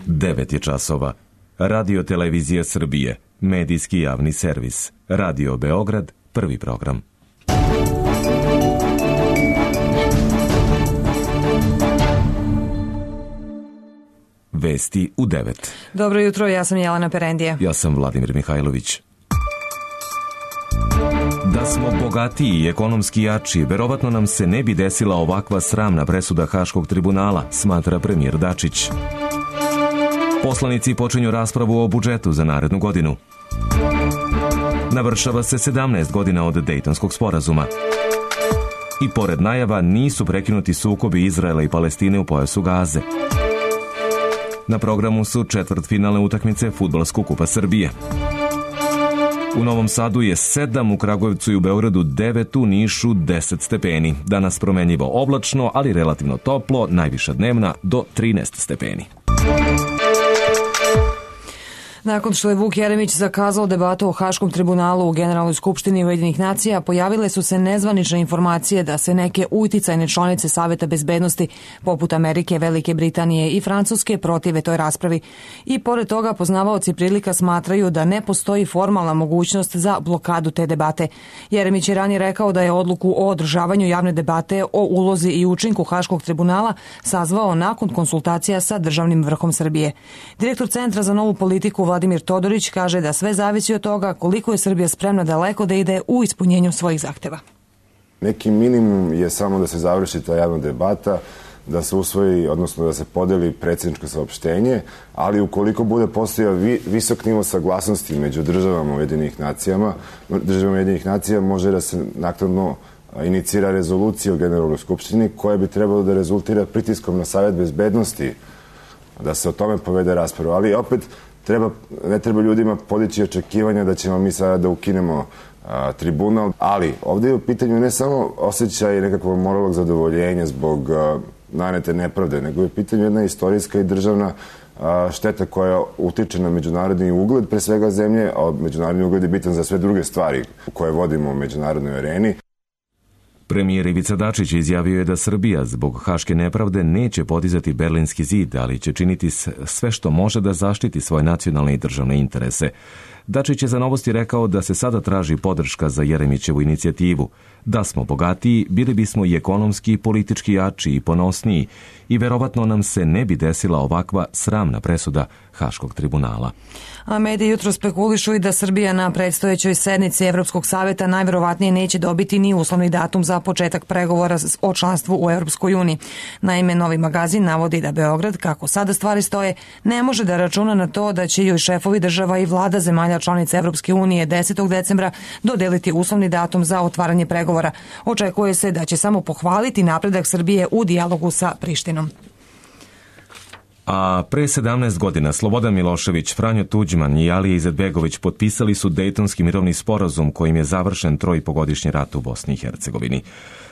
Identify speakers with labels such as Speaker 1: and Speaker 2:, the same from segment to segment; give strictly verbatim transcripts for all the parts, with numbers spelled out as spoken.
Speaker 1: devet je časova. Radio Televizija Srbije, medijski javni servis. Radio Beograd, prvi program. Vesti u devet.
Speaker 2: Dobro jutro, ja sam Jelena Perendija.
Speaker 1: Ja sam Vladimir Mihajlović. Da smo bogatiji i ekonomski jači, verovatno nam se ne bi desila ovakva sramna presuda Haškog tribunala, smatra premijer Dačić. Poslanici počinju raspravu o budžetu za narednu godinu. Navršava se sedamnaest godina od Dejtonskog sporazuma. I pored najava nisu prekinuti sukobi Izraela i Palestine u pojasu Gaze. Na programu su četvrtfinalne utakmice Fudbalskog kupa Srbije. U Novom Sadu je sedam, u Kragujevcu i u Beogradu devet, u Nišu deset stepeni. Danas promenljivo oblačno, ali relativno toplo, najviša dnevna do trinaest stepeni.
Speaker 2: Nakon što je Vuk Jeremić zakazao debatu o Haškom tribunalu u Generalnoj skupštini Ujedinjenih nacija, pojavile su se nezvanične informacije da se neke uticajne članice Saveta bezbednosti, poput Amerike, Velike Britanije i Francuske, protive toj raspravi. I pored toga, poznavaoci prilika smatraju da ne postoji formalna mogućnost za blokadu te debate. Jeremić je ranije rekao da je odluku o održavanju javne debate o ulozi i učinku Haškog tribunala sazvao nakon konsultacija sa državnim vrhom Srbije. Direktor Centra za novu politiku Vladimir Todorić kaže da sve zavisi od toga koliko je Srbija spremna daleko da ide u ispunjenju svojih zahteva.
Speaker 3: Neki minimum je samo da se završi ta javna debata, da se usvoji, odnosno da se podeli predsjedničko saopštenje, ali ukoliko bude postojao vi, visok nivo saglasnosti među državama Ujedinjenih nacijama, državama Ujedinjenih nacija može da se naknadno inicira rezolucija u Generalnoj skupštini koja bi trebalo da rezultira pritiskom na Savet bezbednosti, da se o tome povede rasprava, ali opet Treba, ne treba ljudima podići očekivanja da ćemo mi sada da ukinemo a, tribunal, ali ovdje je u pitanju ne samo osjećaj nekakvog moralnog zadovoljenja zbog a, nanete nepravde, nego je u pitanju jedna istorijska i državna a, šteta koja utiče na međunarodni ugled pre svega zemlje, a međunarodni ugled je bitan za sve druge stvari koje vodimo u međunarodnoj areni.
Speaker 1: Premijer Ivica Dačić izjavio je da Srbija zbog haške nepravde neće podizati Berlinski zid, ali će činiti sve što može da zaštiti svoje nacionalne i državne interese. Dačić je za Novosti rekao da se sada traži podrška za Jeremićevu inicijativu. Da smo bogatiji, bili bismo i ekonomski i politički jači i ponosniji i verovatno nam se ne bi desila ovakva sramna presuda Haškog tribunala.
Speaker 2: A mediji jutro spekulišu i da Srbija na predstojećoj sednici Evropskog saveta najverovatnije neće dobiti ni uslovni datum za početak pregovora o članstvu u Evropskoj uniji. Naime, Novi magazin navodi da Beograd, kako sada stvari stoje, ne može da računa na to da će joj šefovi država i vlada zemalja članica Evropske unije desetog decembra dodeliti uslovni datum za otvaranje pregovora. Očekuje se da će samo pohvaliti napredak Srbije u dijalogu sa Prištinom.
Speaker 1: A pre sedamnaest godina Slobodan Milošević, Franjo Tuđman i Alija Izetbegović potpisali su Dejtonski mirovni sporazum kojim je završen trojpogodišnji rat u Bosni i Hercegovini.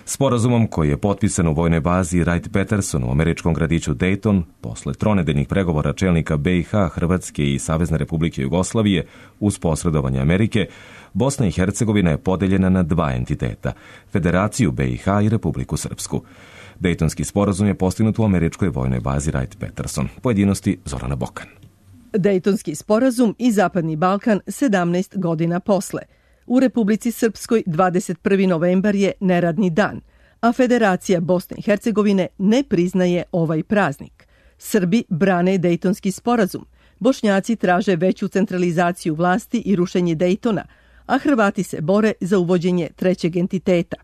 Speaker 1: Sporazumom koji je potpisan u vojnoj bazi Wright-Patterson u američkom gradiću Dejton, posle tronedeljnih pregovora čelnika be i ha, Hrvatske i Savezne Republike Jugoslavije uz posredovanje Amerike, Bosna i Hercegovina je podeljena na dva entiteta, Federaciju be i ha i Republiku Srpsku. Dejtonski sporazum je postignut u američkoj vojnoj bazi Wright-Patterson. Pojedinosti Zorana Bokan.
Speaker 4: Dejtonski sporazum i Zapadni Balkan sedamnaest godina posle. U Republici Srpskoj dvadeset prvi novembar je neradni dan, a Federacija Bosne i Hercegovine ne priznaje ovaj praznik. Srbi brane Dejtonski sporazum, Bošnjaci traže veću centralizaciju vlasti i rušenje Dejtona, a Hrvati se bore za uvođenje trećeg entiteta.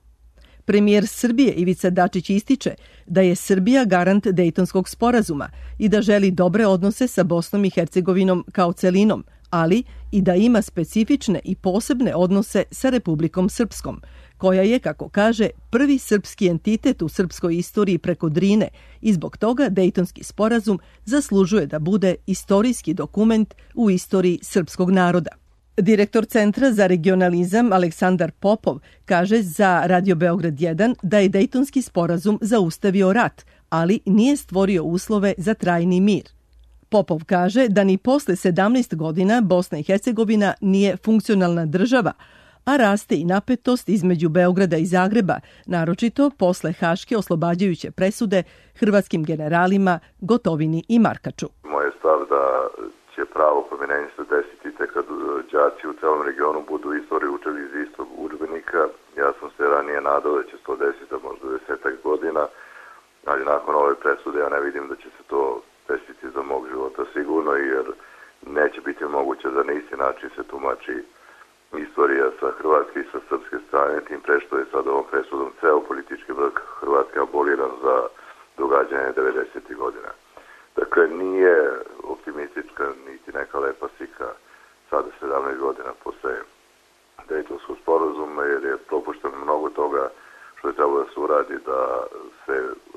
Speaker 4: Premijer Srbije Ivica Dačić ističe da je Srbija garant Dejtonskog sporazuma i da želi dobre odnose sa Bosnom i Hercegovinom kao celinom, ali i da ima specifične i posebne odnose sa Republikom Srpskom, koja je, kako kaže, prvi srpski entitet u srpskoj istoriji preko Drine i zbog toga Dejtonski sporazum zaslužuje da bude istorijski dokument u istoriji srpskog naroda. Direktor Centra za regionalizam Aleksandar Popov kaže za Radio Beograd jedan da je Dejtonski sporazum zaustavio rat, ali nije stvorio uslove za trajni mir. Popov kaže da ni posle sedamnaest godina Bosna i Hercegovina nije funkcionalna država, a raste i napetost između Beograda i Zagreba, naročito posle haške oslobađajuće presude hrvatskim generalima Gotovini i Markaču.
Speaker 5: Moj je stav da će pravo promijenjenje se desiti tek kad đaci u celom regionu budu istoriju učili iz istog udžbenika. Ja sam se ranije nadao da će se to desiti možda desetak godina, ali nakon ove presude ja ne vidim da će se to desiti za mog života sigurno, jer neće biti moguće da na isti način se tumači istorija sa hrvatske i sa srpske strane, tim pre što je sad ovom presudom ceo politički vrh Hrvatske aboliran za događanje devedesetih godina. Dakle, nije optimistička niti neka lepa slika sada sedamnaest godina posle Dejtonskog sporazuma, jer je propušteno mnogo toga što je trebalo da se uradi, da se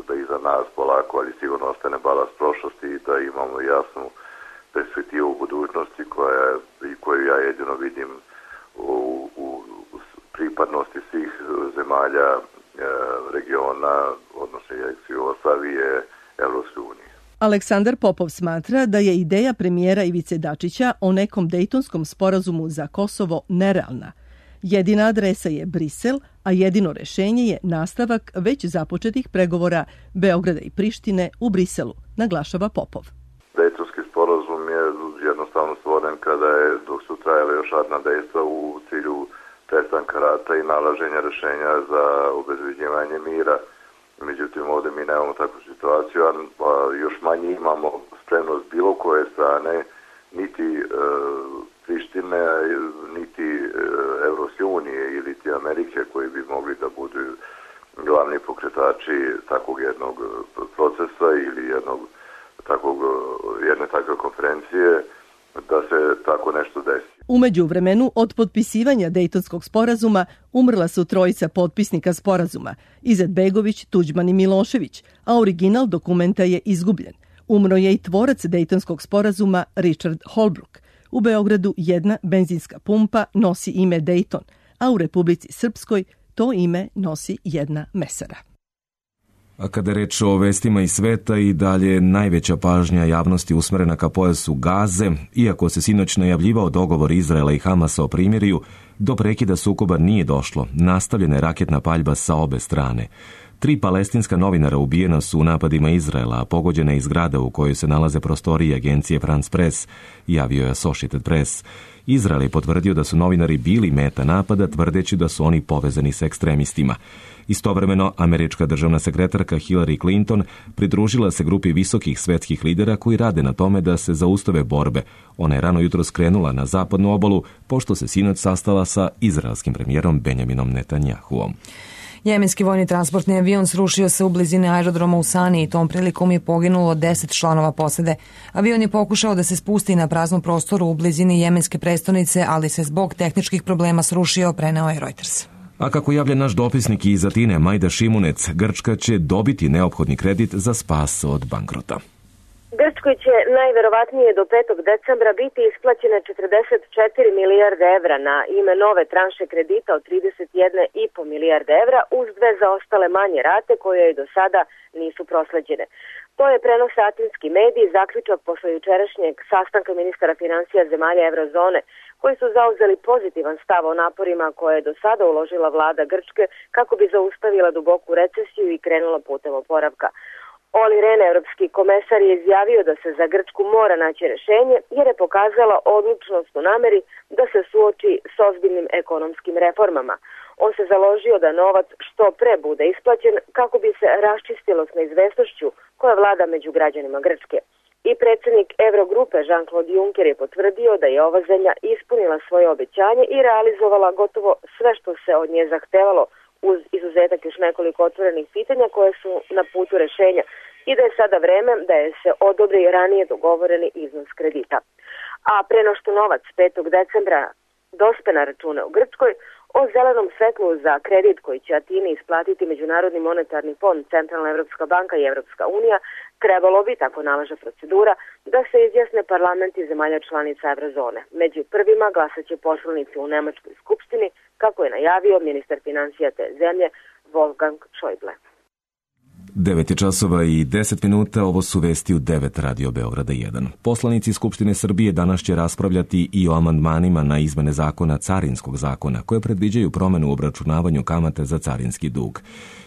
Speaker 5: da iza nas polako, ali sigurno ostane balast prošlosti i da imamo jasnu perspektivu u budućnosti koja, i koju ja jedino vidim u, u, u pripadnosti svih zemalja e, regiona, odnosno ex-Jugoslavije, Evropske unije.
Speaker 4: Aleksandar Popov smatra da je ideja premijera Ivice Dačića o nekom Dejtonskom sporazumu za Kosovo nerealna. Jedina adresa je Brisel, a jedino rešenje je nastavak već započetih pregovora Beograda i Prištine u Briselu, naglašava Popov.
Speaker 5: Dejtonski sporazum je jednostavno stvoren kada je, dok su trajale još ratna dejstva u cilju prestanka rata i nalaženja rešenja za obezbeđivanje mira. Međutim, ovde mi nemamo takvu situaciju, a još manje imamo spremnost bilo koje strane, niti e, Prištine, niti e, Evropske unije ili ti Amerike, koji bi mogli da budu glavni pokretači takvog jednog procesa ili jednog takvog, jedne takve konferencije, da se tako nešto desi.
Speaker 4: U međuvremenu, od potpisivanja Dejtonskog sporazuma umrla su trojica potpisnika sporazuma, Izetbegović, Tuđman i Milošević, a original dokumenta je izgubljen. Umro je i tvorac Dejtonskog sporazuma Richard Holbrooke. U Beogradu jedna benzinska pumpa nosi ime Dejton, a u Republici Srpskoj to ime nosi jedna mesara.
Speaker 1: A kada je reč o vestima iz sveta, i dalje najveća pažnja javnosti usmerena ka pojasu Gaze, iako se sinoć najavljivao dogovor Izraela i Hamasa o primirju, do prekida sukoba nije došlo. Nastavljena je raketna paljba sa obe strane. Tri palestinska novinara ubijena su u napadima Izraela, a pogođena je i zgrada u kojoj se nalaze prostorije agencije France Press, javio je Associated Press. Izrael je potvrdio da su novinari bili meta napada, tvrdeći da su oni povezani sa ekstremistima. Istovremeno, američka državna sekretarka Hillary Clinton pridružila se grupi visokih svetskih lidera koji rade na tome da se zaustave borbe. Ona je rano jutro skrenula na zapadnu obalu, pošto se sinoć sastala sa izraelskim premijerom Benjaminom Netanjahuom.
Speaker 2: Jemenski vojni transportni avion srušio se u blizini aerodroma u Sani i tom prilikom je poginulo deset članova posade. Avion je pokušao da se spusti na praznom prostoru u blizini jemenske prestonice, ali se zbog tehničkih problema srušio, preneo je Reuters.
Speaker 1: A kako javlja naš dopisnik iz Atine Majda Šimunec, Grčka će dobiti neophodni kredit za spas od bankrota.
Speaker 6: Grčkoj će najverovatnije do petog decembra biti isplaćene četrdeset četiri milijarde evra na ime nove tranše kredita od trideset jedna i po milijarde evra uz dve zaostale manje rate koje i do sada nisu prosleđene. To je prenos atinski mediji, zaključak posle jučerašnjeg sastanka ministara finansija zemalja Evrozone, koji su zauzeli pozitivan stav o naporima koje je do sada uložila vlada Grčke kako bi zaustavila duboku recesiju i krenula putem oporavka. Oli Ren, evropski komesar, je izjavio da se za Grčku mora naći rešenje jer je pokazala odlučnost u nameri da se suoči s ozbiljnim ekonomskim reformama. On se založio da novac što pre bude isplaćen kako bi se raščistilo s neizvesnošću koja vlada među građanima Grčke. I predsjednik Evrogrupe Jean-Claude Juncker je potvrdio da je ova zemlja ispunila svoje obećanje i realizovala gotovo sve što se od nje zahtevalo, uz izuzetak još nekoliko otvorenih pitanja koje su na putu rešenja, i da je sada vreme da je se odobri ranije dogovoreni iznos kredita. A pre no što novac petog decembra dospe na račune u Grčkoj, o zelenom svetlu za kredit koji će Atini isplatiti Međunarodni monetarni fond, Centralna Evropska banka i Evropska unija, trebalo bi, tako nalaže procedura, da se izjasne parlamenti zemalja članica Evrozone. Među prvima glasaće poslanici u Nemačkoj skupštini, kako je najavio ministar finansija te zemlje Wolfgang Schäuble.
Speaker 1: devet je časova i deset minuta, ovo su vesti u devet Radio Beograda jedan. Poslanici Skupštine Srbije danas će raspravljati i o amandmanima na izmene zakona Carinskog zakona, koje predviđaju promenu u obračunavanju kamate za carinski dug.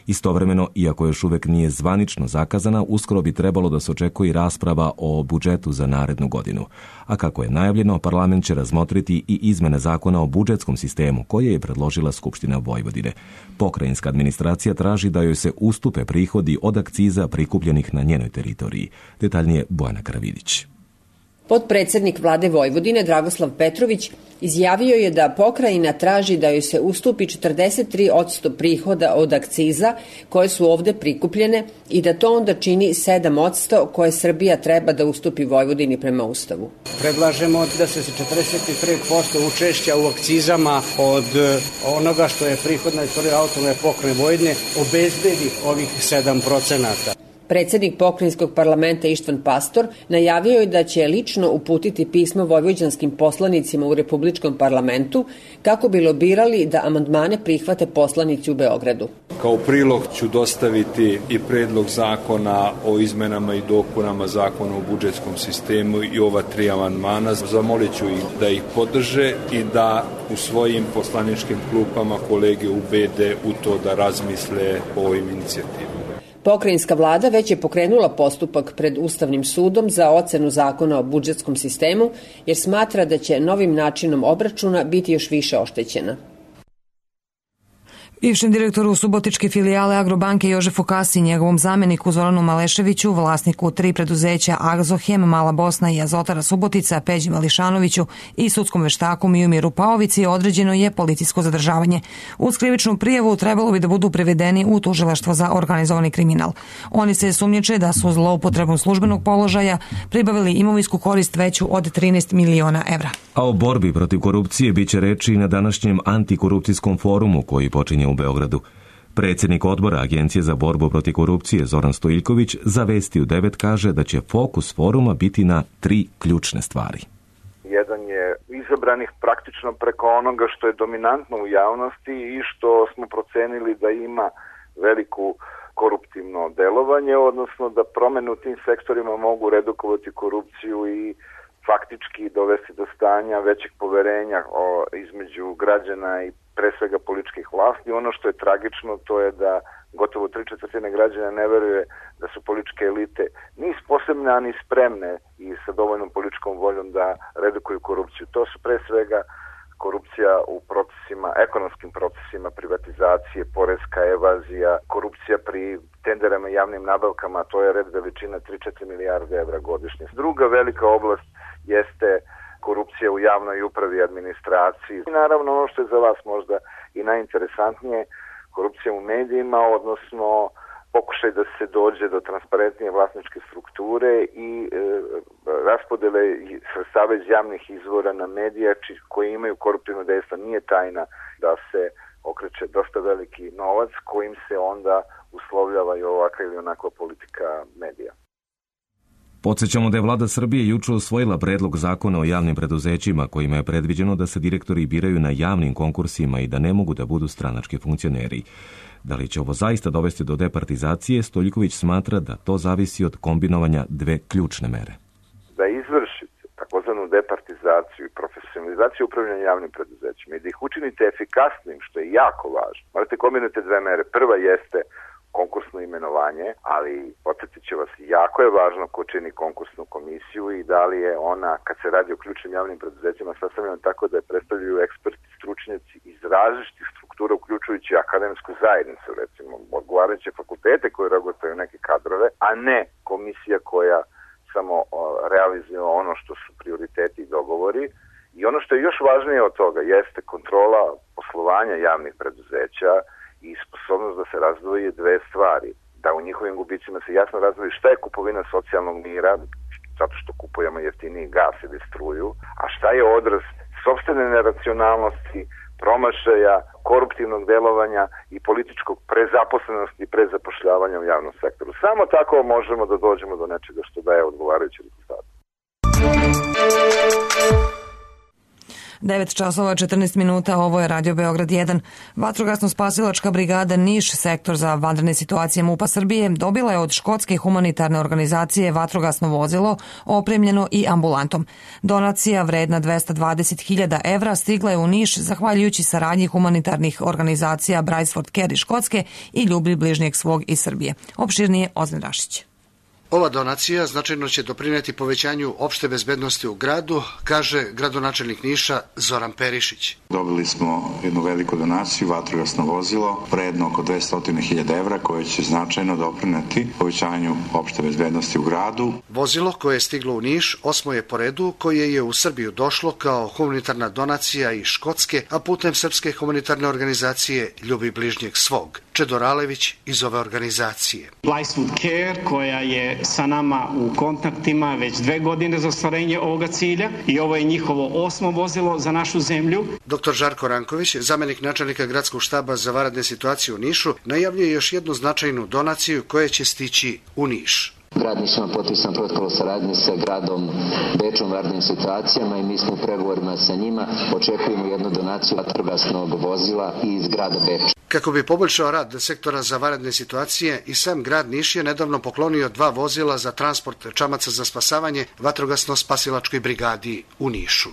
Speaker 1: Istovremeno, iako još uvek nije zvanično zakazana, uskoro bi trebalo da se očekuje rasprava o budžetu za narednu godinu. A kako je najavljeno, parlament će razmotriti i izmene zakona o budžetskom sistemu, koje je predložila Skupština Vojvodine. Pokrajinska administracija traži da joj se ustupe prihodi od akciza prikupljenih na njenoj teritoriji. Detaljnije Bojana Karavidić.
Speaker 7: Potpredsednik vlade Vojvodine Dragoslav Petrović izjavio je da pokrajina traži da joj se ustupi četrdeset tri posto prihoda od akciza koje su ovde prikupljene i da to onda čini sedam posto koje Srbija treba da ustupi Vojvodini prema Ustavu.
Speaker 8: Predlažemo da se četrdeset tri posto učešća u akcizama od onoga što je prihod na teritoriji autonomne pokrajine Vojvodine obezbedi ovih sedam procenata.
Speaker 7: Predsednik pokrajinskog parlamenta Ištvan Pastor najavio je da će lično uputiti pismo vojvođanskim poslanicima u Republičkom parlamentu kako bi lobirali da amandmane prihvate poslanici u Beogradu.
Speaker 9: Kao prilog ću dostaviti i predlog zakona o izmenama i dopunama zakona o budžetskom sistemu i ova tri amandmana. Zamolit ću ih da ih podrže i da u svojim poslaničkim klupama kolege ubede u to da razmisle o ovim inicijativama.
Speaker 7: Pokrajinska vlada već je pokrenula postupak pred Ustavnim sudom za ocenu zakona o budžetskom sistemu, jer smatra da će novim načinom obračuna biti još više oštećena.
Speaker 2: Bivšem direktoru Subotičke filijale Agrobanke Jožefu Kasi, njegovom zameniku Zoranu Maleševiću, vlasniku tri preduzeća Azohem, Mala Bosna i Azotara Subotica, Peđi Mališanoviću i sudskom veštaku Mijumiru Paovici određeno je policijsko zadržavanje. Uz krivičnu prijavu trebalo bi da budu prevedeni u tužilaštvo za organizovani kriminal. Oni se sumnjiče da su zloupotrebom službenog položaja pribavili imovinsku korist veću od trinaest miliona evra.
Speaker 1: A o borbi protiv korupcije biće reči i na današnjem antikorupcijskom forumu koji počinje u Beogradu. Predsjednik odbora Agencije za borbu protiv korupcije Zoran Stojiljković za Vesti u devet kaže da će fokus foruma biti na tri ključne stvari.
Speaker 10: Jedan je izabranih praktično preko onoga što je dominantno u javnosti i što smo procenili da ima veliku koruptivno delovanje, odnosno da promene u tim sektorima mogu redukovati korupciju i faktički dovesti do stanja većeg poverenja o, između građana i pre svega političkih vlasti. Ono što je tragično to je da gotovo tri četvrtine građana ne veruje da su političke elite ni sposobne, ani spremne i sa dovoljnom političkom voljom da redukuju korupciju. To su pre svega korupcija u procesima, ekonomskim procesima privatizacije, poreska evazija, korupcija pri tenderama i javnim nabavkama, to je red veličina tri do četiri milijarde evra godišnje. Druga velika oblast jeste korupcija u javnoj upravi i administraciji. I naravno ono što je za vas možda i najinteresantnije, korupcija u medijima, odnosno pokušaj da se dođe do transparentnije vlasničke strukture i e, raspodele sredstava iz javnih izvora na medija koji imaju koruptivno dejstvo. Nije tajna da se okreće dosta veliki novac kojim se onda uslovljava i ovakva ili onakva politika medija.
Speaker 1: Podsjećamo da je vlada Srbije juče usvojila predlog zakona o javnim preduzećima kojima je predviđeno da se direktori biraju na javnim konkursima i da ne mogu da budu stranački funkcioneri. Da li će ovo zaista dovesti do departizacije, Stojiljković smatra da to zavisi od kombinovanja dve ključne mere.
Speaker 10: Da izvršite takozvanu departizaciju i profesionalizaciju upravljanja javnim preduzećima i da ih učinite efikasnim, što je jako važno. Morate kombinujete dve mere. Prva jeste konkursno imenovanje, ali podsjetit ću vas, jako je važno ko čini konkursnu komisiju i da li je ona, kad se radi o ključnim javnim preduzećima, sastavljena tako da je predstavljaju eksperti, stručnjaci iz različitih struktura, uključujući akademsku zajednicu, recimo, odgovarajuće fakultete koje reaguju neke kadrove, a ne komisija koja samo realizuje ono što su prioriteti i dogovori. I ono što je još važnije od toga jeste kontrola poslovanja javnih preduzeća i sposobnost da se razdvoje dve stvari. Da u njihovim gubicima se jasno razdvoji šta je kupovina socijalnog mira, zato što kupujemo jeftiniji gas ili struju, a šta je odraz sopstvene neracionalnosti, promašaja, koruptivnog delovanja i političkog prezaposlenosti i prezapošljavanja u javnom sektoru. Samo tako možemo da dođemo do nečega što daje odgovarajući rezultat.
Speaker 2: devet časova četrnaest minuta, ovo je Radio Beograd jedan. Vatrogasno-spasilačka brigada Niš, sektor za vanredne situacije MUP-a Srbije, dobila je od škotske humanitarne organizacije vatrogasno vozilo, opremljeno i ambulantom. Donacija vredna dvesta dvadeset hiljada evra stigla je u Niš zahvaljujući saradnji humanitarnih organizacija Briceford Care Škotske i Ljubi bližnjeg svog iz Srbije. Opširnije Ozren Rašić.
Speaker 11: Ova donacija značajno će doprineti povećanju opšte bezbednosti u gradu, kaže gradonačelnik Niša Zoran Perišić.
Speaker 12: Dobili smo jednu veliku donaciju, vatrogasno vozilo, vredno oko dvesta hiljada evra, koje će značajno doprineti povećanju opšte bezbednosti u gradu.
Speaker 11: Vozilo koje je stiglo u Niš osmo je po redu, koje je u Srbiju došlo kao humanitarna donacija iz Škotske, a putem Srpske humanitarne organizacije Ljubi bližnjeg svog. Čedor Alević iz ove organizacije.
Speaker 13: Briceford Care, koja je sa nama u kontaktima već dve godine za ostvarenje ovoga cilja i ovo je njihovo osmo vozilo za našu zemlju.
Speaker 11: Doktor Žarko Ranković, zamenik načelnika gradskog štaba za vanredne situacije u Nišu, najavljuje još jednu značajnu donaciju koja će stići u Niš.
Speaker 14: Grad Niš ima potpisan protokol o saradnji sa gradom Bečom u vanrednim situacijama i mi smo u pregovorima sa njima. Očekujemo jednu donaciju vatrogasnog vozila iz grada Beča.
Speaker 11: Kako bi poboljšao rad sektora za vanredne situacije, i sam grad Niš je nedavno poklonio dva vozila za transport čamaca za spasavanje vatrogasno-spasilačkoj brigadi u Nišu.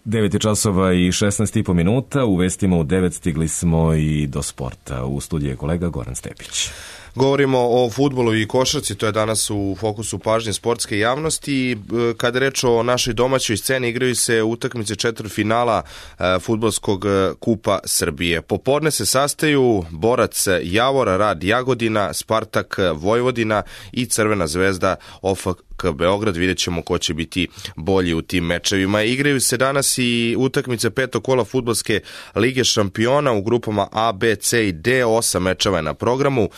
Speaker 1: devet časova i šesnaest i po minuta, u vestima u devet stigli smo i do sporta. U studiju je kolega Goran Stepić.
Speaker 15: Govorimo o fudbalu i košarci, to je danas u fokusu pažnje sportske javnosti. Kada reč o našoj domaćoj sceni, igraju se utakmice četvrtfinala fudbalskog kupa Srbije. Popodne se sastaju Borac Javor, Rad Jagodina, Spartak Vojvodina i Crvena zvezda O F K Beograd. Vidjet ćemo ko će biti bolji u tim mečevima. Igraju se danas i utakmice petog kola fudbalske lige šampiona u grupama A, B, C i D. Osam mečeva je na programu.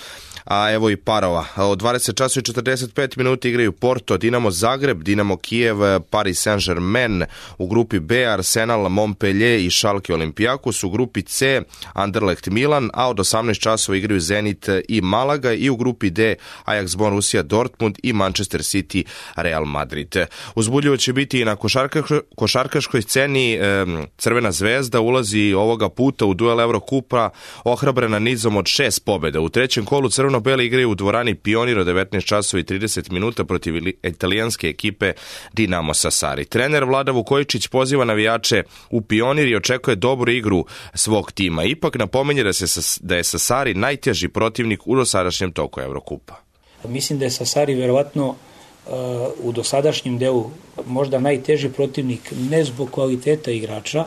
Speaker 15: A evo i parova. Od dvadeset časova i četrdeset pet minuta igraju Porto, Dinamo Zagreb, Dinamo Kijev, Paris Saint-Germain. U grupi B Arsenal, Montpellier i Schalke Olympiakos. U grupi C Anderlecht Milan, a od osamnaest časova igraju Zenit i Malaga. I u grupi D Ajax Borussia Dortmund i Manchester City Real Madrid. Uzbudljivo će biti i na košarkaškoj, košarkaškoj sceni. Crvena zvezda ulazi ovoga puta u duel Evrokupa ohrabrena nizom od šest pobjeda. U trećem kolu Crveno Beli igraju u dvorani Pionir od devetnaest časova i trideset minuta protiv italijanske ekipe Dinamo Sassari. Trener Vlada Vukojičić poziva navijače u Pionir i očekuje dobru igru svog tima. Ipak napominje da, se, da je Sassari najteži protivnik u dosadašnjem toku Evrokupa.
Speaker 16: Mislim da je Sassari verovatno uh, u dosadašnjem delu možda najteži protivnik ne zbog kvaliteta igrača,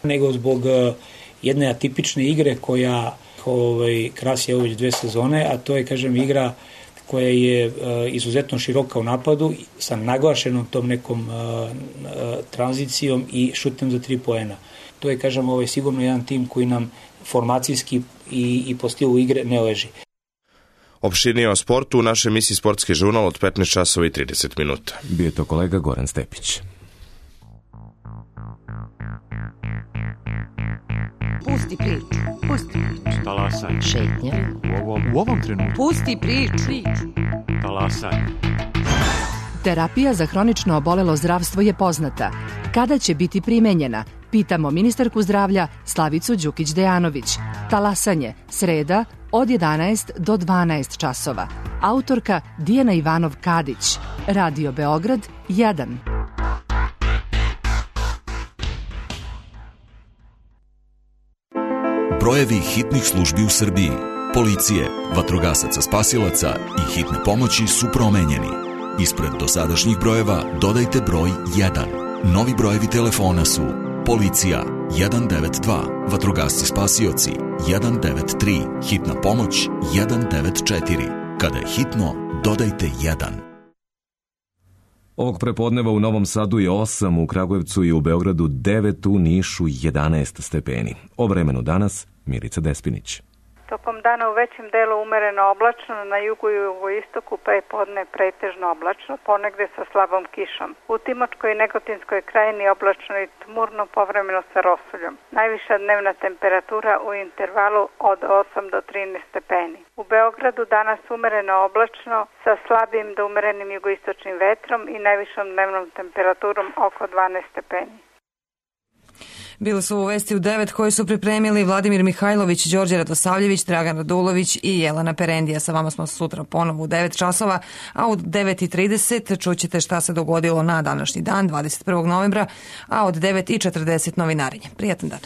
Speaker 16: nego zbog uh, jedne atipične igre koja ovaj, krasi već dve sezone, a to je, kažem, igra koja je uh, izuzetno široka u napadu sa naglašenom tom nekom uh, uh, tranzicijom i šutem za tri poena. To je, kažem, ovaj, sigurno jedan tim koji nam formacijski i, i po stilu igre ne leži.
Speaker 15: Opširnije o sportu u našoj emisiji Sportski žurnal od petnaest časova i trideset minuta.
Speaker 1: Bio je to kolega Goran Stepić.
Speaker 17: Pusti priču. Pusti priču.
Speaker 18: Talasaj.
Speaker 17: Šetnja.
Speaker 18: U ovom, u ovom trenutku.
Speaker 17: Pusti priču.
Speaker 18: Talasaj.
Speaker 19: Terapija za hronično obolelo zdravstvo je poznata. Kada će biti primenjena? Pitamo ministarku zdravlja Slavicu Đukić-Dejanović. Talasanje, sreda, od jedanaest do dvanaest časova. Autorka Dijana Ivanov-Kadić. Radio Beograd jedan.
Speaker 20: Brojevi hitnih službi u Srbiji, policije, vatrogasaca spasilaca i hitne pomoći su promenjeni. Ispred dosadašnjih brojeva dodajte broj jedan. Novi brojevi telefona su policija jedan devet dva, vatrogasci spasioci jedan devet tri, hitna pomoć jedan devet četiri. Kada je hitno, dodajte jedan.
Speaker 1: Ovog prepodneva u Novom Sadu je osam, u Kragujevcu i u Beogradu devet, u Nišu jedanaest stepeni. O vremenu danas Milica Despinić.
Speaker 21: Tokom dana u većem delu umereno oblačno, na jugu i jugoistoku prepodne pretežno oblačno, ponegde sa slabom kišom. U Timočkoj i Negotinskoj krajini oblačno i tmurno, povremeno sa rosuljom. Najviša dnevna temperatura u intervalu od osam do trinaest stepeni. U Beogradu danas umereno oblačno sa slabim do umerenim jugoistočnim vetrom i najvišom dnevnom temperaturom oko dvanaest stepeni.
Speaker 2: Bili su u vesti u devet koji su pripremili Vladimir Mihajlović, Đorđe Radosavljević, Dragan Radulović i Jelena Perendija. Sa vama smo sutra ponovo u devet časova, a u devet i trideset čućete šta se dogodilo na današnji dan, dvadeset prvog novembra, a od devet i četrdeset novinarenje. Prijatan dan.